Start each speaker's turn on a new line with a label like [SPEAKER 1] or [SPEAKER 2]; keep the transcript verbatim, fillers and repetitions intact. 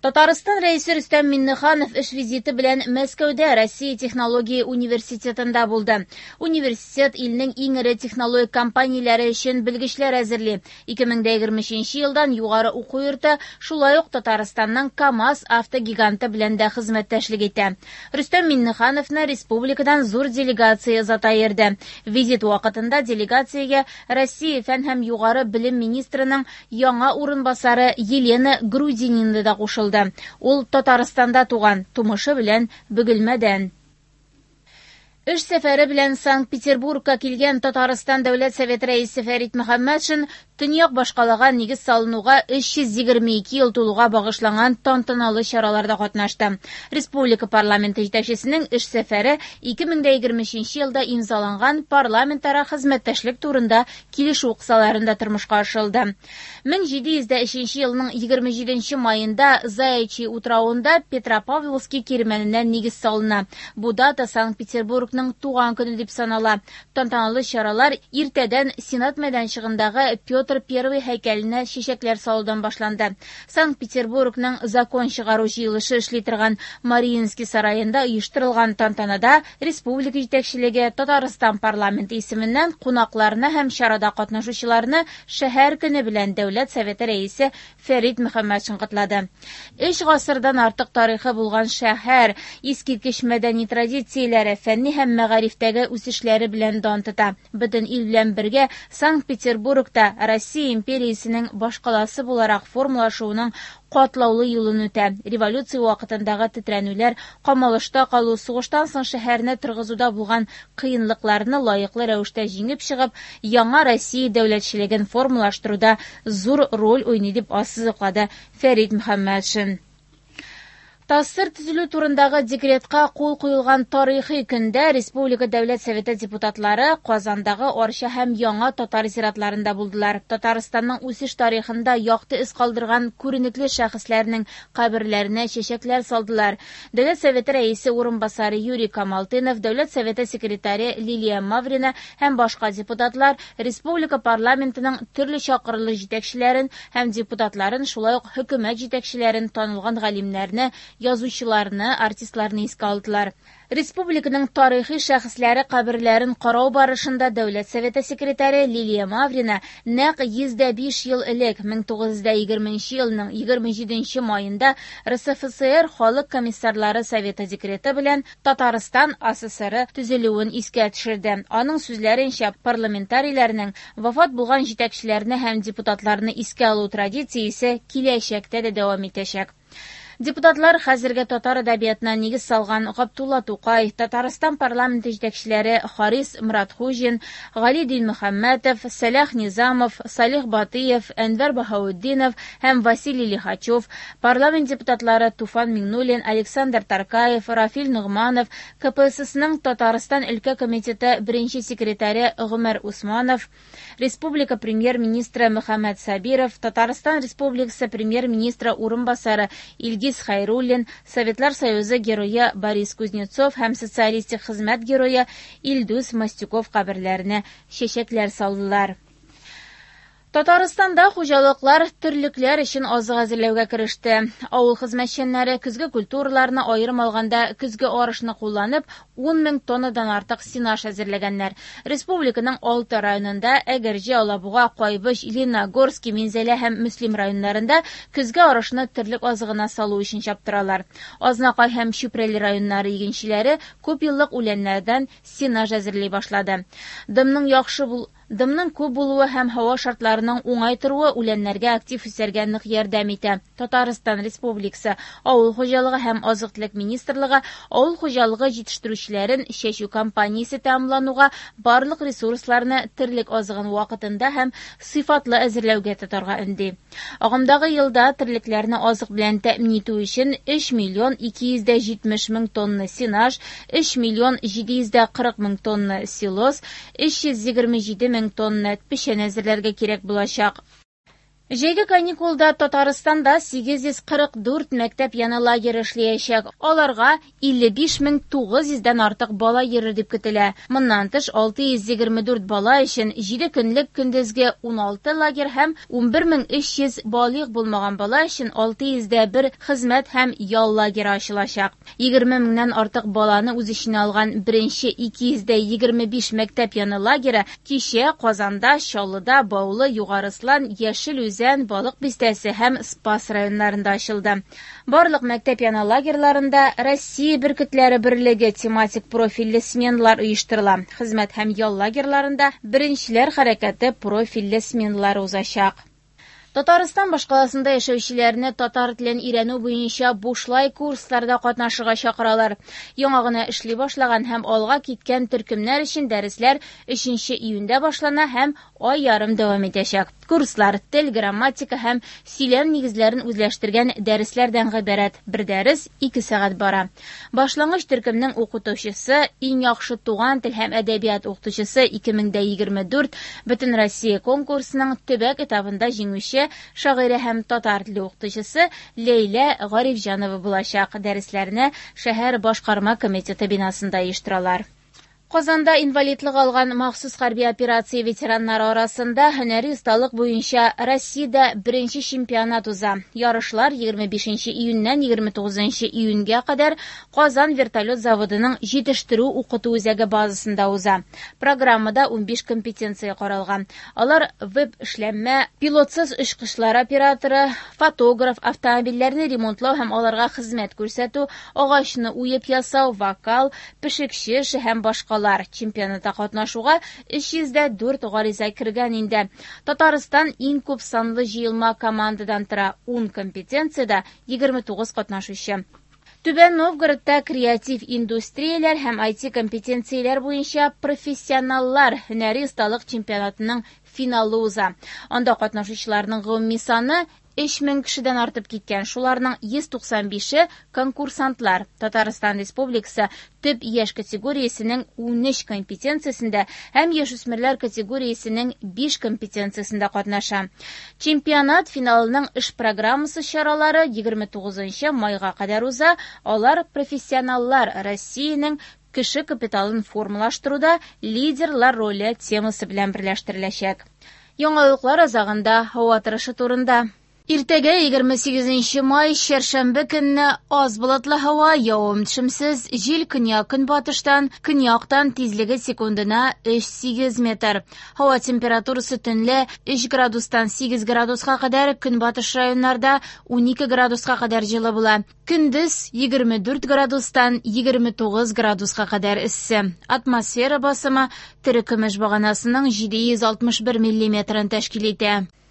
[SPEAKER 1] Татарстан Рәисе Рөстәм Миңнеханов эш визиты белән Мәскәүдә Россия технология университетында булды. Университет илнең иң эре технологик компанияләре өчен белгечләр әзерли. ике мең егерме өченче елдан югары уку йорты шулай ук Татарстанның КАМАЗ автогиганты белән дә хезмәттәшлек итә. Рөстәм Миңнехановны республикадан зур делегация озата йөрде. Визит вакытында делегациягә Россия фән һәм югары белем министрының яңа урынбасары Елена Грудинина да кушылды. Ул Татарстанда туган, тумышы белән Бөгелмәдән. Эш сәфәре белән Санкт-Петербургка килгән Татарстан Дәүләт Советы рәисе Фәрит Мөхәммәтшин төньяк башкалага нигез салынуга өч йөз егерме ике ел тулуга багышланган тантаналы чараларда катнашты. Республика парламенты җитәкчесенең эш сәфәре ике мең егерме өченче елда имзаланган парламентара хезмәттәшлек турында килешү кысаларында тормышка ашырылды. мең җиде йөз өченче елның егерме җиденче майында Заячий утравында Петропавловский кирмәненә нигез салына. Бу дата Санкт-Петербургның туган көне дип санала. Тантаналы чаралар иртәдән Сенат мәйданчыгындагы Петр Первый һәйкәленә чәчәкләр салудан башланды. Санкт-Петербургның закон чыгару җыелышы эшли торган Мариинский сараенда оештырылган тантанада республика җитәкчелеге Татарстан парламенты исеменнән кунакларны һәм чарада катнашучыларны шәһәр көне белән Дәүләт Советы рәисе Фәрит Мөхәммәтшин котлады. Өч гасырдан артык тарихы булган шәһәр искиткеч мәдәни традицияләре, фәнни һәм мәгарифтәге үсешләре белән дан тота. Бөтен ил белән бергә Санкт-Петербургта Россия империясенең башкаласы буларак формалашуының катлаулы юлын үтә. Революция вакытындагы тетрәнүләр, камалышта калу, сугыштан соң шәһәрне торгызуда булган кыенлыкларны лаеклы рәвештә җиңеп чыгып, яңа Россия дәүләтчелеген формалаштыруда зур роль уйный дип ассызыклады Фәрит Мөхәммәтшин. ТАССР төзелү турындагы декретка кул куелган тарихи көндә Республика Дәүләт Советы депутатлары Казандагы Арча һәм Яңа татар зиратларында булдылар. Татарстанның үсеш тарихында якты эз калдырган күренекле шәхесләрнең каберләренә чәчәкләр салдылар. Дәүләт Советы рәисе урынбасары Юрий Камалтынов, Дәүләт Советы секретаре Лилия Маврина һәм башка депутатлар республика парламентының төрле чакырылыш җитәкчеләрен һәм депутатларын, шулай ук хөкүмәт җитәкчеләрен, танылган галимнәрне, язучыларны, артистларны искә алдылар. Республиканың тарихи шәхесләре каберләрен карау барышында Дәүләт Советы секретаре Лилия Маврина нәкъ йөз дә биш ел элек, мең тугыз йөз егерменче елның егерме җиденче майында РСФСР Халык комиссарлары Советы декреты белән Татарстан АССР төзелүен искә төшерде. Аның сүзләренчә, парламентарийләрнең вафат булган җитәкчеләрне һәм депутатларны искә алу традициясе киләчәктә дә дәвам итәчәк. Депутатлар хәзерге татар әдәбиятына нигез салган Габдулла Тукай, Татарстан парламенты җитәкчеләре Харис Муратхуҗин, Гали Динмөхәммәтов, Сәлах Низамов, Салих Батыев, Әнвәр Баһаутдинов һәм Василий Лихачев, парламент депутатлары Туфан Миңнуллин, Александр Таркаев, Рафил Ногманов, КПССның Татарстан өлкә комитеты беренче секретаре Гомәр Усманов, Республика премьер-министры Мөхәммәт Сабиров, Татарстан Республикасы премьер-министры урынбасары Илгиз Хайруллин, Советлар Союзы герое Борис Кузнецов һәм социалистик хезмәт герое Илдус Мастюков каберләренә чәчәкләр салдылар. Татарстанда хуҗалыклар терлекләр өчен азык әзерләүгә кереште. Авыл хезмәтчәннәре көзге культураларны аерым алганда көзге арышны кулланып ун мең тоннадан артык сенаж әзерләгәннәр. Республиканың алты районында Әгерҗе, Алабуга, Кайбыч, Лениногорский, Минзәлә һәм Мөслим районнарында көзге арышны терлек азыгына салу өчен чаптыралар. Азнакай һәм Чүпрәле районнары игенчеләре күп еллык үләннәрдән сенаж әзерли башлады. Дымның яхшы бул Дымның күп булуы һәм һава шартларының уңай торуы үләннәргә актив үсәргә нык ярдәм итә. Татарстан Республикасы Авыл хуҗалыгы һәм азык-төлек министрлыгы авыл хуҗалыгы җитештерүчеләрен чәчү кампаниясе тәмамлануга барлык ресурсларны терлек азыгын вакытында һәм сыйфатлы әзерләүгә тотарга өнди. Агымдагы елда терлекләрне азык белән тәэмин итү өчен өч миллион ике йөз дә җитмеш мең тонна сенаж, өч миллион җиде йөз дә кырык мең тонна силос, өч йөз егерме җиде мең тонна печән әзерләргә кирәк булачак. Җәйге каникулда Татарстанда сигез йөз кырык дүрт мәктәп яны лагеры эшләячәк. Аларга илле биш мең тугыз йөздән артык бала йөрер дип көтелә. Моннан тыш алты йөз егерме дүрт бала өчен җиде көнлек көндезге уналты лагерь һәм унбер мең өч йөз балигъ булмаган бала өчен алты йөз дә бер хезмәт һәм ял лагеры ачылачак. Егерме меңнән артык баланы үз эченә алган беренче ике йөз дә егерме биш мәктәп яны лагеры кичә Казанда, Чаллыда, Баулы, Югары Ослан, Яшел Үзән, Балык Бистәсе һәм Спас районнарында ачылды. Барлык мәктәп яны лагерьларында Россия бөркетләре берлеге тематик профильле сменалар оештырыла. Хезмәт һәм ял лагерьларында беренчеләр хәрәкәте профильле сменалар узачак. Татарстан башкаласында яшәүчеләрне татар телен өйрәнү буенча бушлай курсларда катнашырга чакыралар. Яңа гына эшли башлаган һәм алга киткән төркемнәр өчен дәресләр өченче июньдә башлана һәм ай ярым дәвам итәчәк. Курслар тел, грамматика һәм сөйләм нигезләрен үзләштергән дәресләрдән гыйбарәт. Бер дәрес ике сәгать бара. Башлангыч төркемнең укытучысы, иң яхшы туган тел һәм әдәбият укытучысы ике мең дә егерме дүрт Бөтен Россия конкурсының төбәк этабында җиңүче шагыйрә һәм татар теле укытучысы Ләйлә Гарифҗанова булачак. Дәресләрне шәһәр башкарма комитеты бинасында оештыралар. Казанда инвалидлык алган махсус хәрби операция ветераннары арасында һөнәри осталык буенча Россиядә беренче чемпионат уза. Ярышлар егерме бишенче июньнән егерме тугызынчы июньгә кадәр Казан вертолет заводының җитештерү укыту үзәге базасында уза. Программада унбиш компетенция каралган. Алар веб-эшләнмә, пилотсыз очкычлар операторы, фотограф, автомобильләрне ремонтлау һәм аларга хезмәт күрсәтү, агачны уеп ясау, вокал, пешекче эше һәм башкалар. Чемпионатта катнашуга өч йөз дә дүрт гариза кергән инде. Татарстан иң күп санлы җыелма командадан тора. Ун компетенциядә егерме тугыз катнашучы. Түбән Новгородта креатив индустрияләр һәм ай ти компетенцияләр буенча профессионаллар һөнәри осталык чемпионатының финалы уза. Анда катнашучыларның гомуми саны өч мең кешедән артып киткән. Шуларның йөз туксан бише конкурсантлар. Татарстан Республикасы төп яшь категориясенең унөч компетенциясендә һәм яшүсмерләр категориясенең биш компетенциясендә катнаша. Чемпионат финалының эш программасы чаралары егерме тугызынчы майга кадәр уза. Алар профессионаллар Россиянең кеше капиталын формалаштыруда лидерлар роле темасы белән берләштереләчәк. Яңалыклар азагында һава торышы турында. Иртәгә егерме сигезенче май, чәршәмбе көнне аз болытлы һава, явым-төшемсез, җил көньяк-көнбатыштан, көньяктан тизлеге секундына өч сигез метр. Һава температурасы төнлә өч градустан сигез градуска кадәр, көнбатыш районнарда унике градуска кадәр җылы була. Көндез егерме дүрт градустан егерме тугыз градуска кадәр эссе. Атмосфера басымы терекөмеш баганасының җиде йөз алтмыш бер миллиметрын тәшкил итә.